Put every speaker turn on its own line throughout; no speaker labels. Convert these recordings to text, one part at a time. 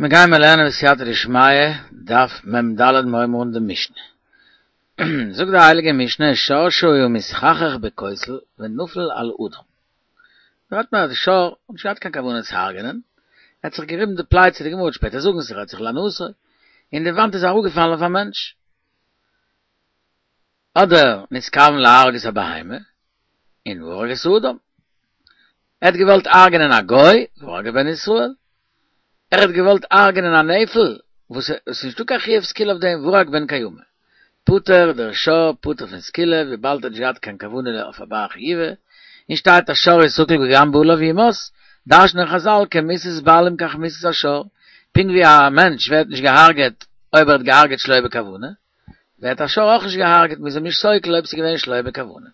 מיר גייען מיר לערנען בסייעתא דשמיא, דף מ ד מיר הייבן אן די משנה. זאגט די הייליגע משנה, שור שהיה מתחכך בכותל ונפל על אדם. דא רעדט מען אז די שור האט נישט געהאט קיין כוונה צו הרג'נען, ער האט זיך געריבן די פלייצע, די גמרא וועט שפעטער זאגן ס'רעדט זיך להנאתו, און די וואנט איז אראפגעפאלן אויף א מענטש. אדער נתכוון להרוג את הבהמה, און והרג את האדם. ער האט געוואלט הרג'נען א גוי, והרג בן ישראל. ער האט געוואלט הרג'נען א נפל, וואס עס איז נישטא קיין חיוב סקילה אויף דעם, והרג בן קיימא. פטור דער שור פטור פון סקילה, וויבאלד ער האט נישט געהאט קיין כוונה אויף א בר חיובא, און שטייט השור יסקל וגם בעליו יומת, דרש'נען חזל כמיתת בעלים כך מיתת השור, פונקט ווי א מענטש ווערט נישט געהארגעט אויב ער האט געהארגעט שלא בכוונה, ווערט א שור אויך נישט געהארגעט, מ'איז אים נישט סוקל אויב ס'איז געווען שלא בכוונה.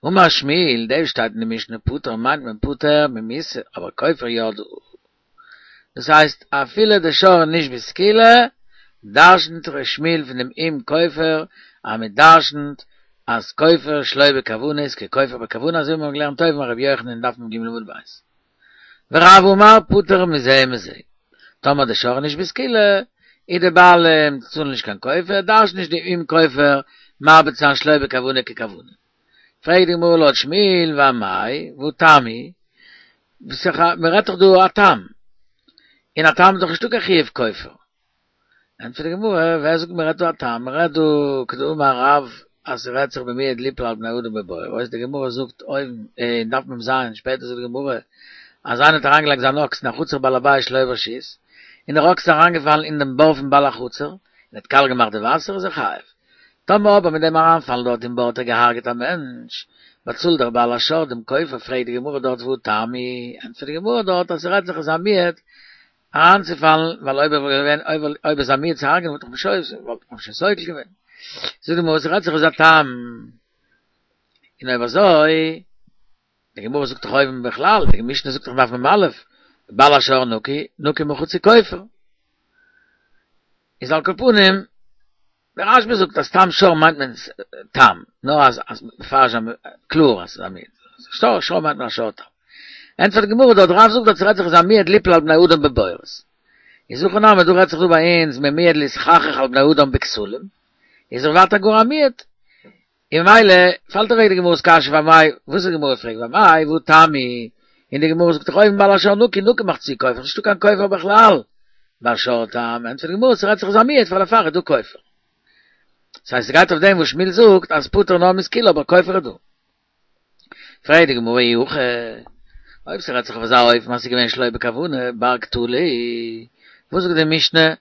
אמר שמואל, דאס שטייט אין די משנה פטור מיינט מען פטור ממיתה, אבער כופר יא דא. דאס הייסט אפילו די שור איז נישט בסקילה, דרשנ'ט ר' שמואל פון דעם אם כופר אז מען דרשנ'ט אז כופר שלא בכוונה איז ככופר בכוונה אזוי ווי מיר האבן געלערנט אויבן ביי ר' יוחנן אין דף מ ג עמוד ב'. ורב אמר פטור מזה ומזה. טאמער די שור איז נישט בסקילה, איז די בעלים צאלן נישט קיין כופר, דרש'נט נישט די אם כופר מרבה צו זיין שלא בכוונה ככוונה. פרעגט די גמרא לויט שמואל ואמאי והא תם הוא, מען רעדט דאך דא א תם, און א תם איז דאך נישטא קיין חיוב כופר. ענטפערט די גמרא, ווער זאגט מען רעדט דא א תם? מען רעדט דא כדאמר רב אז ס'רעדט זיך במועד ליפול על בני אדם בבורות, די גמרא זאגט אויבן אין דף מ ז, שפעטער זאגט די גמרא אז איינער האט אריינגעלייגט זיין אקס אין א חצר בעל הבית שלא ברשות, און דער אקס איז אריינגעפאלן אין דעם בור פון בעל החצר, און האט קאליע געמאכט די וואסער, איז ער חייב. טאמער אבער מיט דעם אריינפאלן דארט אין בור האט ער געהארגעט א מענטש, באצאלט דער בעל השור דעם כופר, פרעגט די גמרא דארט והא תם הוא, ענטפערט די גמרא דארט אז ס'רעדט זיך איז א מועד אריינצופאלן, ווייל אויב ער וואלט געווען אויב איז א מועד צו הרג'נען וואלט איך שוין וואלט מען שוין סוקל געווען. זאגט די גמרא ס'רעדט זיך איז א תם. און אויב אזוי, די גמרא זאגט דאך אויבן בכלל, די משנה זאגט דאך דף מ א, בעל השור נקי, נקי מחצי כופר. איז על כל פנים, דער רשב"א זאגט אז תם שור מיינט מען תם, נאר אז אז מפרש זיין קלאר אז ס'איז א מועד. שור שור מיינט מען א שור תם. ענטפערט די גמרא דארט רב זאגט דארט ס'רעדט זיך איז א מועד ליפול על בני אדם בבורות. איז הכא נמי דא רעדט זיך דא ביי אונז ממועד להתחכך על בני אדם בכתלים, איז ער ווייטער גאר א מועד. און ממילא פאלט אוועק די גמרא'ס קשיא ואמאי, וואס די גמרא פרעגט ואמאי והא תם הוא, און די גמרא זאגט דאך אויבן בעל השור נקי נקי מחצי כופר, נישטא קיין כופר בכלל ביי שור תם, ענטפערט די גמרא ס'רעדט זיך איז א מועד פאר דערפאר איז דא כופר. ס'הייסט ס'גייט אויף דעם וואס שמואל זאגט אז פטור נאר מסקילה אבער כופר איז דא. פרעגט די גמרא אי הכי, אויב ס'רעדט זיך אויף אזא אופן אז ס'איז געווען שלא בכוונה, בר קטלא, וואס זאגט די משנה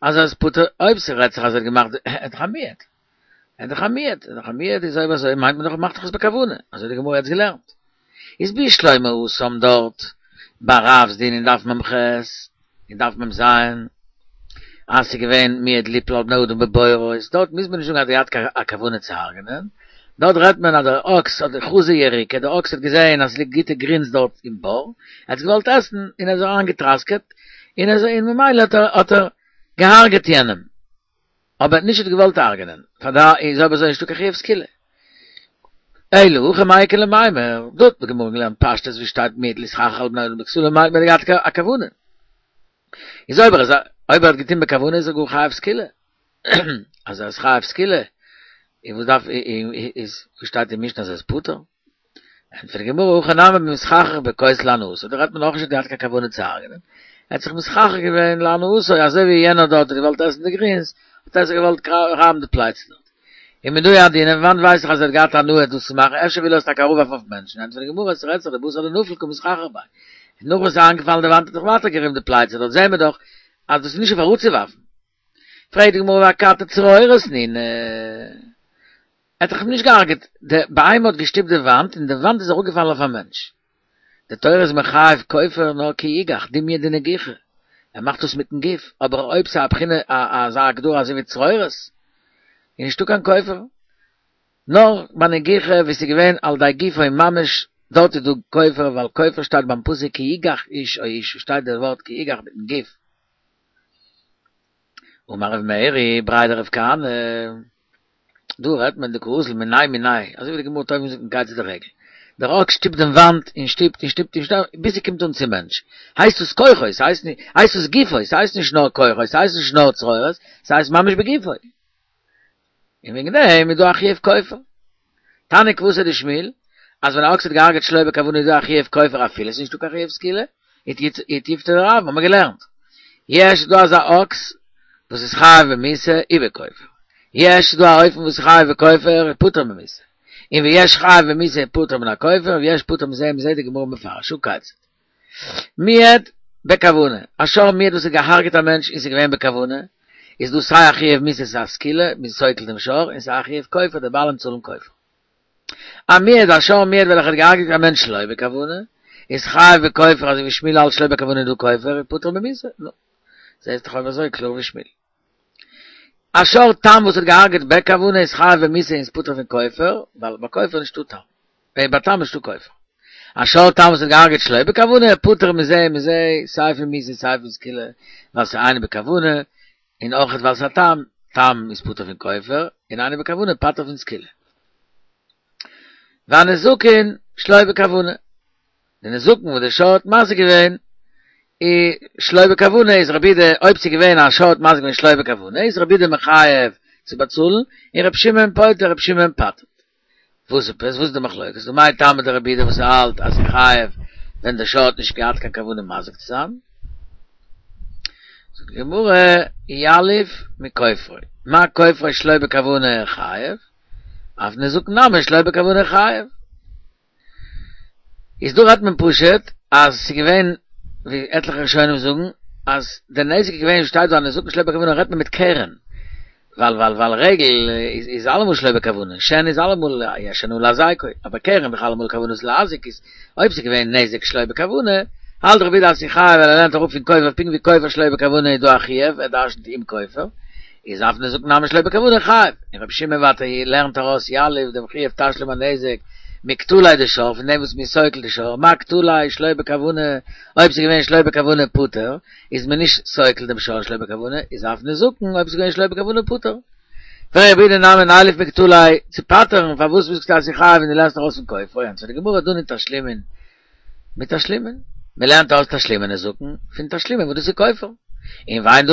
אז ער איז פטור, אויב ס'רעדט זיך אז ער האט געמאכט, ער איז דאך א מועד, ער איז דאך א מועד, ער איז דאך א מועד, איז אויב אזוי מיינט מען דאך ער מאכט דאך עס בכוונה, אזוי האט די גמרא יעצט געלערנט. איז בשלמא התם דארט ביי רב'ס דין אין דף מ ח אין דף מ ז אז ס'איז געווען מועד ליפול על בני אדם בבורות, דארט מוז מען נישט זאגן אז ער האט געהאט א כוונה צו הרג'נען, דארט רעדט מען אז דער אקס האט חזא יריקא, דער אקס האט געזען אז ס'ליגט גוטע גרינס דארט אין בור, ער האט עס געוואלט עסן און ער איז אריינגעטראסקעט און ער און ממילא האט ער האט ער געהארגעט יענעם. אבער נישט האט געוואלט הרג'נען, פאר דא איז אויב אזוי נישטא קיין חיוב סקילה. אלא הכא מאי איכא למימר, דא האט די גמרא געלערנט פשטות ווי שטייט מועד להתחכך על בני אדם בכתלים מיינט מען האט געהאט א כוונה. איז אויב ער איז אויב ער האט געטון בכוונה איז ער גאר חייב סקילה. אז ער איז חייב סקילה, איז וואס דארף איז וואס שטייט אין משנה אז ער איז פטור? ענטפערט די גמרא הכא נמי במתחכך בכותל להנאתו, דא רעדט מען אויך נישט האט געהאט קיין כוונה צו הרג'נען, ער האט זיך מתחכך געווען להנאתו, אזוי ווי יענער דארט האט געוואלט עסן די גרינס, האט ער זיך געוואלט רייבן די פלייצע דארט. ומנא ידעינן, פון וואנט ווייס איך אז ער האט געהאט הנאה דאס צו מאכן, אפשר וויל ער עס טאקע אראפווארפן אויף מענטשן, ענטפערט די גמרא, ס'רעדט זיך דבתר דנפל קא מתחכך ביה, נאך וואס ס'איז איינגעפאלן די וואנט האט ער זיך ווייטער געריבן די פלייצע, דארט זעהן מיר דאך אז דאס איז נישט אויף אראפצואווארפן. פרעגט די גמרא ואכתי צרורות נינהו. ער האט דאך נישט געהארגעט, די בהמה האט געשטופט די וואנט און די וואנט איז אראפגעפאלן אויף א מענטש. די תורה איז מחייב כופר נאר כי יגח, דומיא דנגיחה, ער מאכט דאס מיטן גוף, אבער אויב ס'איז א בחינה אזא הגדרה אזוי ווי צרורות, איז נישטא קיין כופר. נאר ביי נגיחה ווי ס'איז געווען על ידי גופו ממש, דארט איז דא כופר, ווייל כופר שטייט ביים פסוק כי יגח איש או אשה שטייט די ווארט כי יגח מיטן גוף. אמר רב מרי בריה דרב כהנא, דא רעדט מען דקאזיל מיניה מיניה, אזוי ווי די גמרא האט אויבן געזאגט אין כיצד הרגל. דער אקס שטופט דעם וואנט און שטופט און שטופט און שטופט ביז ס'קומט אן צום מענטש. הייסט עס כוחו, ס'הייסט נישט, הייסט עס גופו, ס'הייסט נישט נאר כוחו, ס'הייסט נישט נאר צרורות, ס'הייסט ממש בגופו. און וועגן דעם איז דא א חיוב כופר. תניא כוותיה דשמואל, אז ווען א אקס האט געהארגעט שלא בכוונה איז דא א חיוב כופר אפילו ס'איז נישטא קיין חיוב סקילה, ותיובתא דרב, האבן מיר געלערנט. יש איז דא אזא אקס וואס איז חייב במיתה ובכופר. יש איז דא א אופן וואס איז חייב בכופר ופטור ממיתה. און ויש חייב במיתה ופטור מן הכופר, ויש פטור מזה ומזה די גמרא מפרש, הא כיצד. מועד בכוונה, א שור מועד וואס האט געהארגעט א מענטש און ס'איז געווען בכוונה, איז דא סיי א חיוב מיתה סיי סקילה, מ'איז סוקל דעם שור, און סיי א חיוב כופר, די בעלים צאלן כופר. א מועד, א שור מועד וועלכע האט געהארגעט א מענטש שלא בכוונה, איז חייב בכופר אזוי ווי שמואל האלט שלא בכוונה איז דא כופר, ופטור ממיתה. נו. זעהסט דאך אויב אזוי קלאר ווי שמואל. א שור תם וואס האט געהארגעט בכוונה איז חייב במיתה און איז פטור פון כופר, ווייל ביי כופר איז נישטא תם. ביי תם איז נישטא כופר. א שור תם וואס האט געהארגעט שלא בכוונה, פטור מזה ומזה, סיי פון מיתה סיי פון סקילה, ווייל ס'איז אינו בכוונה, און אויך ווייל ס'איז א תם, תם איז פטור פון כופר, און אינו בכוונה פטור פון סקילה. והנזקין שלא בכוונה. די נזקין וואס די שור האט מזיק געווען איז שלא בכוונה איז רבי יהודה אויב ס'איז געווען א שור האט מזיק געווען שלא בכוונה איז רבי יהודה מחייב צו באצאלן און רבי שמעון פוטר רבי שמעון פטר'ט. וואס איז וואס איז די מחלוקת? ומאי טעמא דרבי יהודה וואס האלט אז ס'איז חייב ווען די שור האט נישט געהאט קיין כוונה מזיק צו זיין? זאגט די גמרא יליף מכופרו מה כופרו שלא בכוונה חייב אף נזקין נמי שלא בכוונה חייב. איז דא רעדט מען פשוט אז ס'איז געווען ווי עטליכע ראשונים זאגן אז די נזק איז געווען שטייט דא הנזקין שלא בכוונה רעדט מען מיט קרן ווייל ווייל ווייל רגל איז איז אלעמאל שלא בכוונה שן איז אלעמאל יש שן להזיקו אבער קרן איז דאך אלעמאל כוונת להזיק איז אויב ס'איז געווען נזק שלא בכוונה האלט רבי יהודה אז ס'איז חייב ווייל ער לערנט אראפ פון כופר פונקט ווי כופר שלא בכוונה איז דא א חיוב ער דרשנ'ט אם כופר איז אף נזקין נמי שלא בכוונה חייב, און רבי שמעון ווייטער לערנט ארויס יליף דעם חיוב תשלום הנזק מקטליה דשור פון דעם וואס מ'איז סוקל די שור, מה קטליה שלא בכוונה, אויב ס'איז געווען שלא בכוונה פטור, איז מען נישט סוקל דעם שור שלא בכוונה, איז אף נזקין אויב ס'איז געווען שלא בכוונה פטור. ורבי יהודה נמי נילף מקטליה צו פטר'ן, פארוואס זאגסטו אז ס'איז חייב און דו לערנסט ארויס פון כופר, ענטפערט די גמרא דנין תשלומין מתשלומין, מען לערנט אויס תשלומי נזקין פון תשלומין וואס דאס איז כופר, און ואין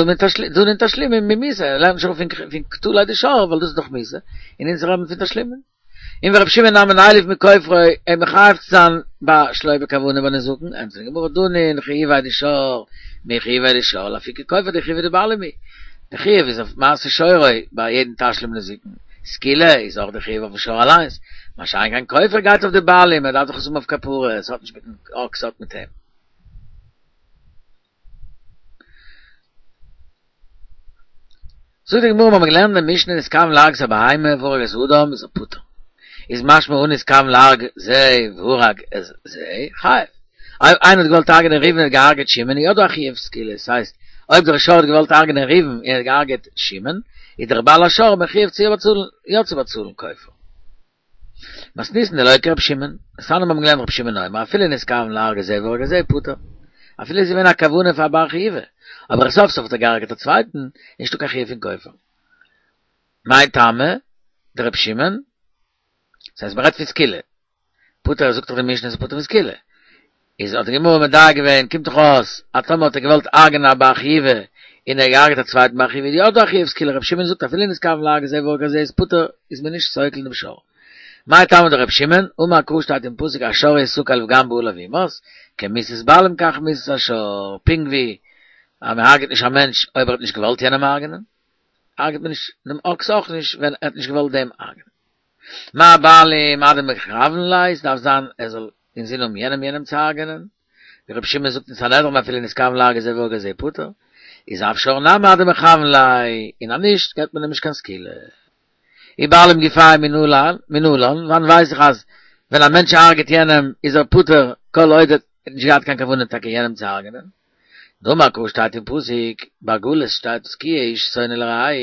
דנין תשלומין ממיתה, ער לערנט נישט אראפ פון קטליה דשור ווייל דאס איז דאך מיתה, און אונז רעדן פון תשלומין. און ורבי שמעון נמי נילף מכופרו אים מחייב צו זיין ביי שלא בכוונה ביי נזקין, ענטפערט די גמרא דנין חיוביה דשור מחיוביה דשור לאפוקי כופר דחיובא דבעלים הוא, די חיוב איז אויף מעשה שורו ביי יעדן תשלום נזקין, סקילה איז אויך די חיוב אויפן שור אליינס, מה שאין כן כופר גייט אויף די בעלים, ער דארף דאך עס האבן אויף כפרה, עס האט נישט מיטן אקס ס'האט מיט אים. זאגט די גמרא מ'האמיר געלערנט אין די משנה נתכוון להרוג את הבהמה והרג את האדם איז ער פטור. איז משמע הא נתכוון להרוג זה והרג את זה חייב. אויב איינער האט געוואלט הרג'נען ראובן און האט געהארגעט שמעון איז יא דא א חיוב סקילה, ס'הייסט אויב דער שור האט געוואלט הרג'נען ראובן און ער האט געהארגעט שמעון איז דער בעל השור מחויב צו באצאלן יא צו באצאלן כופר. מתניתין דלא כרבי שמעון, דתניא מיר האבן געלערנט רבי שמעון אומר אפילו נתכוון להרוג את זה והרג את זה פטור. אפילו איז געווען א כוונה פאר א בר חיובא, אבער סוף סוף האט ער געהארגעט א צווייטן, איז נישטא קיין חיוב פון כופר. מאי טעמא דרבי שמעון? ס'הייסט מ'רעדט פון סקילה. פטור זאגט דאך די משנה איז פטור פון סקילה. איז האט די גמרא מדייק געווען, קומט דאך אויס אז טאמער האט ער געוואלט הרג'נען א בר חיובא און ער האט געהארגעט א צווייטן בר חיובא איז יא דא א חיוב סקילה, רבי שמעון זאגט אפילו נתכוון להרוג את זה והרג את זה איז פטור איז מען נישט סוקל דעם שור. מאי טעמא דרבי שמעון, אמר קרא שטייט אין פסוק השור יסקל וגם בעליו יומת, כמיתת בעלים כך מיתת השור, פונקט ווי אז מען הרג'עט נישט א מענטש אויב ער האט נישט געוואלט יענעם הרג'נען, הרג'עט מען נישט דעם אקס אויך נישט ווען ער האט נישט געוואלט דעם הרג'נען. מה בעלים עד דמכוון ליה, ס'דארף זיין ער זאל אינזין האבן יענעם יענעם צו הרג'ענען, ווי רבי שמעון זאגט אין סנהדרין אפילו נתכוון להרוג את זה והרג את זה פטור, איז אף שור נמי עד דמכוון ליה, און אז נישט געבט מען אים נישט קיין סקילה. ובעלים גופייהו מנלן, מנלן, וואנען ווייס איך אז ווען א מענטש הרג'עט יענעם איז ער פטור כל עוד ער האט נישט געהאט קיין כוונה טאקע יענעם צו הרג'ענען. דאמר קרא שטייט אין פסוק, ביי גלות שטייט כי יהיה איש שונא לרעהו.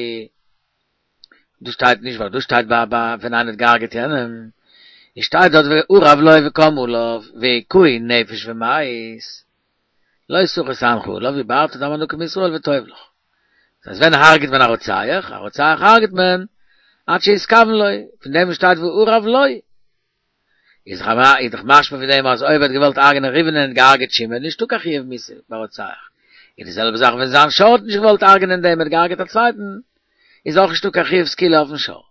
דא שטייט נישט ווייל דא שטייט ביי ביי ווען איינער האט געהארגעט יענעם, און שטייט דארט וארב לו וקם עליו והכהו נפש ומת, לא תחוס עמך עליו ובערת דם הנקי מישראל וטוב לך. דאס הייסט ווען הרג'ט מען א רוצח? א רוצח הרג'ט מען עד שיתכוון לו, פון דעם וואס שטייט וארב לו. איז דאך משמע פון דעם אז אויב ער האט געוואלט הרג'נען ראובן און האט געהארגעט שמעון נישטא קיין חיוב מיתה ביי רוצח. איז די זעלבע זאך ווען זיין שור האט נישט געוואלט הרג'נען דעם ער האט געהארגעט א צווייטן איז אויך נישטא קיין חיוב סקילה אויפן שור.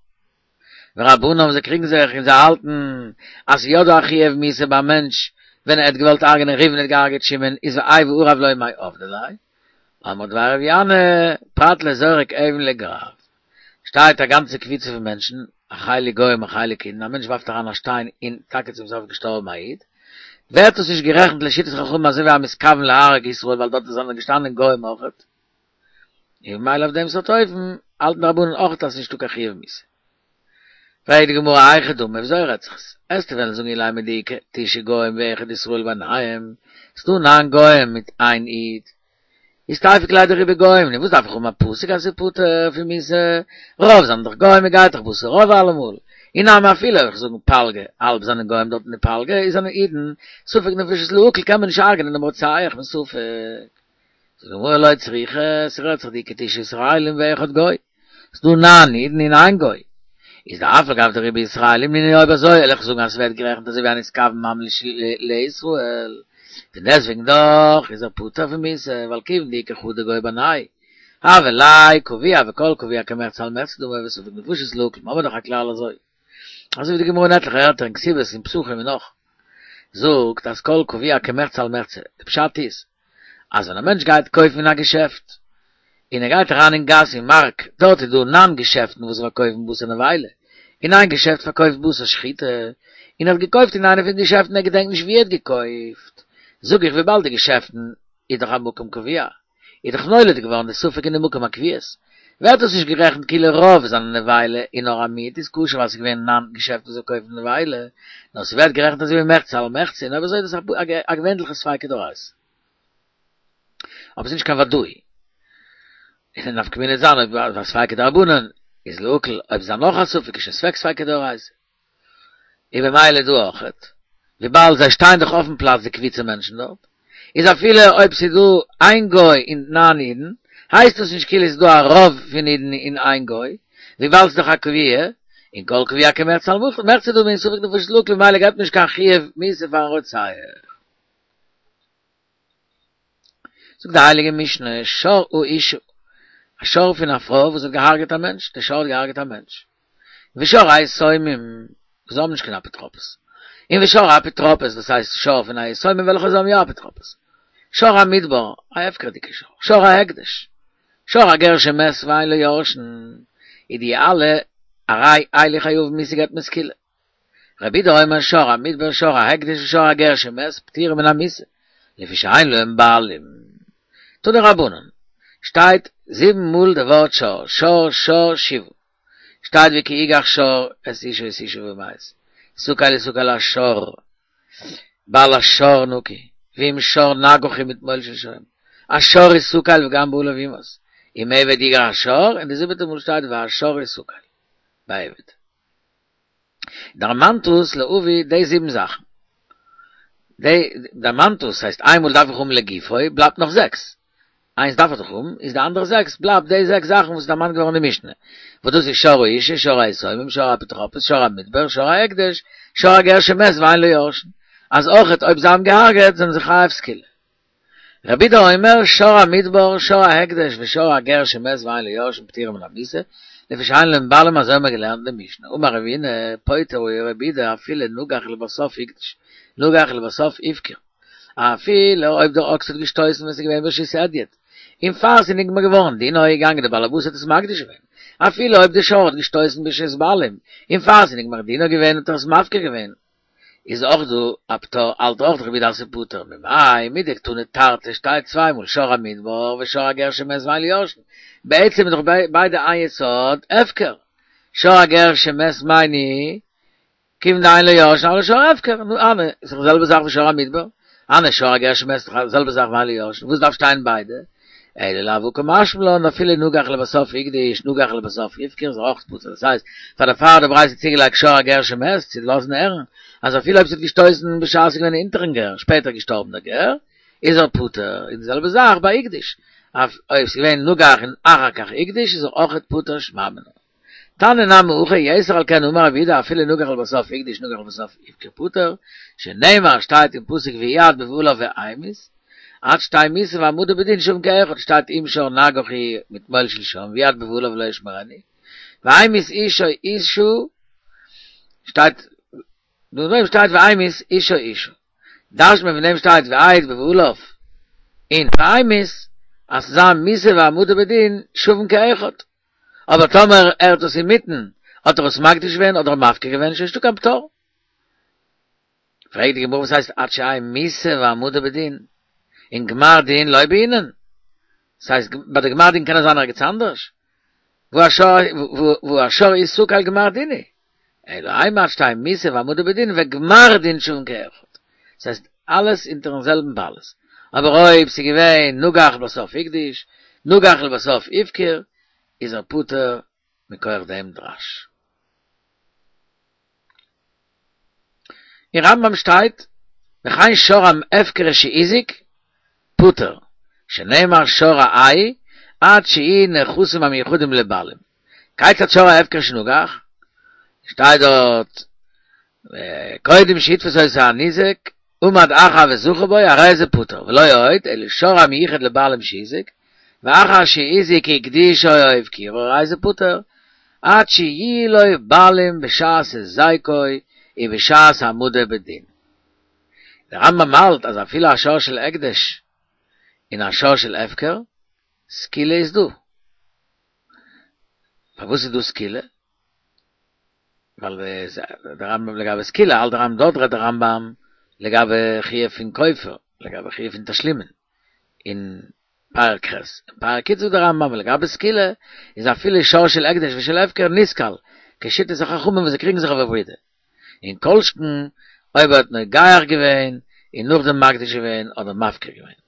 ורבנן זיי קריגן זיך און זיי האלטן אז ס'איז יא דא א חיוב מיתה ביי א מענטש ווען ער האט געוואלט הרג'נען ראובן און האט געהארגעט שמעון איז והאי וערב לא מאי עבדי ליה אמרי דבר רבי ינאי פרט לזורק אבן לגרב שטייט א גאנצע קבוצה פון מענטשן א חלק גוים א חלק אידן א מענטש ווארפט אריין א שטיין און טאקע צום סוף געשטארבן א איד ווערט עס נישט גערעכנט לשיטת חכמים אזוי ווי א מתכוון להרוג ישראל ווייל דארט זענען געשטאנען גוים אויכעט און ממילא אויף דעם סארט אופן האלטן די רבנן אויך אז ס'נישטא קיין חיוב מיתה. פרעגט די גמרא היכי דמי וויאזוי רעדט זיך עס? עסטו וועלן זאגן אילימא דאיכא תשעה גוים ואחד ישראל ביניהם, ס'דא ניין גוים מיט איין איד, איז תיפוק ליה דרובא גוים, נו וואס דארף איך האבן א פסוק אז ס'איז פטור פון מיתה, רוב זענען דאך גוים מ'גייט דאך בתר רוב אלעמאל, אי נמי אפילו אויך זאגן פלגא, האלב זענען גוים דארט אין די פלגא איז זענען אידן, ספק נפשות להקל קען מען נישט הרג'נען דעם רוצח מספק. זאגט די גמרא לא צריכא, ס'רעדט זיך דאיכא תשעה ישראלים ואחד גוי, ס'דא ניין אידן און איין גוי, איז דאף על גב דרובא ישראלים נינהו אויב אזוי וועל איך זאגן אז ס'ווערט גערעכנט אזוי ווי א נתכוון ממש לישראל, פון דעסטוועגן דאך איז ער פטור פון מיתה ווייל כיוון דאיכא חדא גוי בינייהו הוה ליה קבוע וכל קבוע כמחצה על מחצה דמי וספק נפשות להקל, מ'האמיר דאך א כלל אזוי. אזוי ווי די גמרא אין עטליכע ערטער אין כתובות און פסחים און נאך זאגט אז כל קבוע כמחצה על מחצה, די פשט איז אז ווען א מענטש גייט קויפן אין א געשעפט און ער גייט אריין אין גאס אין מארק דארט איז דא ניין געשעפטן וואס פארקויפן בשר נבילה און איין געשעפט פארקויפט בשר שחיטה און ער האט געקויפט אין איינע פון די געשעפטן ער געדענקט נישט ווי ער האט געקויפט זאג איך וויבאלד די געשעפטן איז דאך א מקום קבוע איז דאך נולד געווארן די ספק אין די מקום הקביעות, ווערט דאס נישט גערעכנט כאילו רוב זענען נבילה און נאר א מיעוט איז כשר ווייל ס'איז געווען ניין געשעפטן וואס פארקויפן נבילה, נאר ס'ווערט גערעכנט אזוי ווי מחצה על מחצה און אויב אזוי איז דאס א געווענליכע ספיקא דאורייתא. אבער ס'איז נישט קיין ודאי. און די נפקא מינה וועט זיין אויב א ספיקא דרבנן איז להקל, אויב איז א נאך א ספק איז שוין ספק ספיקא דאורייתא. און במילא דא אויכעט, וויבאלד זיי שטייען דאך אויפן פלאץ די קבוצה מענטשן דארט, איז אפילו אויב ס'איז דא איין גוי און ניין אידן, הייסט דאס נישט כאילו ס'איז דא א רוב פון אידן און איין גוי, וויבאלד ס'איז דאך א קבוע, און כל קבוע כמחצה על מחצה דמי און ספק נפשות להקל ממילא געבט מען נישט קיין חיוב מיתה פארן רוצח. זאגט די הייליגע משנה, שור האשה, א שור פון א פרוי וואס האט געהארגעט א מענטש, די שור האט געהארגעט א מענטש, ושור היתומים, וואס האבן נישט קיין אפוטרופוס, און ושור האפוטרופוס, דאס הייסט שור פון א יתומים וועלכע זיי האבן יא אפוטרופוס, שור המדבר, א הפקר'דיגע שור, שור ההקדש, שור הגר שמת ואין לו יורשין, איז די אלע הרי אלו חייבין מיתה געבט מען סקילה. רבי יהודה אומר שור המדבר שור ההקדש ושור הגר שמת פטורים מן המיתה לפי שאין להם בעלים. תנו רבנן, שטייט זיבן מאל די ווארט שור, שור שור שבעה, שטייט וכי יגח שור את איש או את אשה ומת, הסקל יסקל השור, בעל השור נקי, ואם שור נגח ומתמול שלשום, השור יסקל וגם בעליו יומת, אם עבד יגח השור, און די זיבעטע מאל שטייט והשור יסקל, ביי עבד. דערמאנט אונז להביא די זיבן זאכן. די דערמאנט אונז הייסט איינמאל דארף איך האבן לגופו, בלייבט נאך זעקס. איינס דארף איך דאך האבן, איז די אנדערע זעקס בלייבט די זעקס זאכן וואס איז דערמאנט געווארן אין די משנה. וואס דאס איז שור האשה, שור היתומים, שור האפוטרופוס, שור המדבר, שור ההקדש, שור הגר שמת ואין לו יורשין. אז אויכעט אויב זיי האבן געהארגעט זענען זיי חייב סקילה. רבי יהודה אומר, שור המדבר, שור ההקדש ושור הגר שמת ואין לו יורשין פטורים מן המיתה, לפי שאין להם בעלים אזוי האבן מיר געלערנט אין די משנה, אמר רבינא, פוטר הוא רבי יהודה אפילו נגח ולבסוף הקדיש, נגח ולבסוף הפקיר, אפילו אויב דער אקס האט געשטויסן ווען ס'איז געווען ברשות הדיוט, און פאר ס'איז נגמר געווארן דינו איז געגאנגען דער בעל הבית האט עס מקדיש געווען, אפילו אויב דער שור האט געשטויסן ברשות בעלים, און פאר ס'איז נגמר דינו געווען האט ער עס מפקיר געווען. איז אויך דא א פטור האלט אויך רבי יהודה אז ס'איז פטור ממאי מדקתני תרתי שטייט צוויי מאל שור המדבר ושור הגר שמת ואין לו יורשין בעצם איז דאך ביידע איין יסוד הפקר שור הגר שמת מאי ניהו כיוון דאין לו יורשין הוי ליה שור הפקר נו הני איז דאך די זעלבע זאך ווי שור המדבר הני שור הגר שמת איז דאך די זעלבע זאך ואין לו יורשין וואס דארף שטיין ביידע אלא לאו הא קא משמע לן אפילו נגח לבסוף הקדיש נגח לבסוף הפקיר איז אויך פטור דאס הייסט פאר דערפאר האט די ברייתא צוגעלייגט שור הגר שמת צו לאזן הערן אז אפילו אויב ס'האט געשטויסן בשעת ס'איז געווען אונטערן גר שפעטער געשטארבן דער גר איז ער פטור און די זעלבע זאך ביי הקדיש אויב ס'איז געווען נגח און אחר כך הקדיש איז ער אויכעט פטור שמע מינה. תנא נמי הכי יתר על כן אמר רבי יהודה אפילו נגח ולבסוף הקדיש נגח ולבסוף הפקיר פטור, שנאמר שטייט אין פסוק ויעד בבעליו והמית, עד שתהא מיתה והעמדה בדין שווין כאחד שטייט אם שור נגח הוא מתמול שלשום ויעד בבעליו ולא ישמרנו, והמית איש או אשה שטייט נאכדעם שטייט והמית איש או אשה. דרש'נט מען פון דעם שטייט ויעד בבעליו און והמית אז ס'זאל זיין מיתה והעמדה בדין שווין כאחד. אבער טאמער ער האט עס אינמיטן האט ער עס מקדיש געווען אדער מפקיר געווען שוין נישטא קיין פטור. פרעגט די גמרא וואס הייסט עד שתהא מיתה והעמדה בדין? און גמר דין לא בעינן. ס'הייסט ביי די גמר דין קען עס זיין ערגעץ אנדערש? והא שור יסקל גמר דין הוא. אלא אימא עד שתהא מיתה והעמדה בדין וגמר דין שווין כאחד. ס'הייסט אלעס אונטערן זעלבן בעלות. אבער אויב ס'איז געווען נגח לבסוף הקדיש, נגח לבסוף הפקיר, איז ער פטור מכח דעם דרש. אין רמב"ם שטייט, וכן שור ההפקר שהזיק, פטור, שנאמר שור רעהו, עד שיהי' נכסים המיוחדים לבעלים. כיצד שור ההפקר שנגח? שטייט דארט, קודם שיתפוס אותו הניזק, עמד אחר וזכה בו, הרי זה פטור, ולא עוד, אלא שור המיוחד לבעלים שהזיק, ואחר שהזיק הקדישו או הפקירו, הרי זה פטור, עד שיהיו לו בעלים בשעת היזקו ובשעת העמדה בדין. דער רמב"ם האלט אז אפילו א שור של הקדש און א שור של הפקר, סקילה איז דא. פארוואס איז דא סקילה? ווייל דער רמב"ם לגבי סקילה האלט דער רמב"ם דארט רעדט דער רמב"ם לגבי חיוב פון כופר, לגבי חיוב פון תשלומין, אין פרק ח', אין פרק י' זאגט דער רמב"ם לגבי סקילה איז אפילו שור של הקדש ושל הפקר נסקל, כשיטת החכמים וואס זיי קריגן זיך אויף רבי יהודה. און כל שכן אויב ער האט נוגח געווען און נאכדעם מקדיש געווען אדער מפקיר געווען.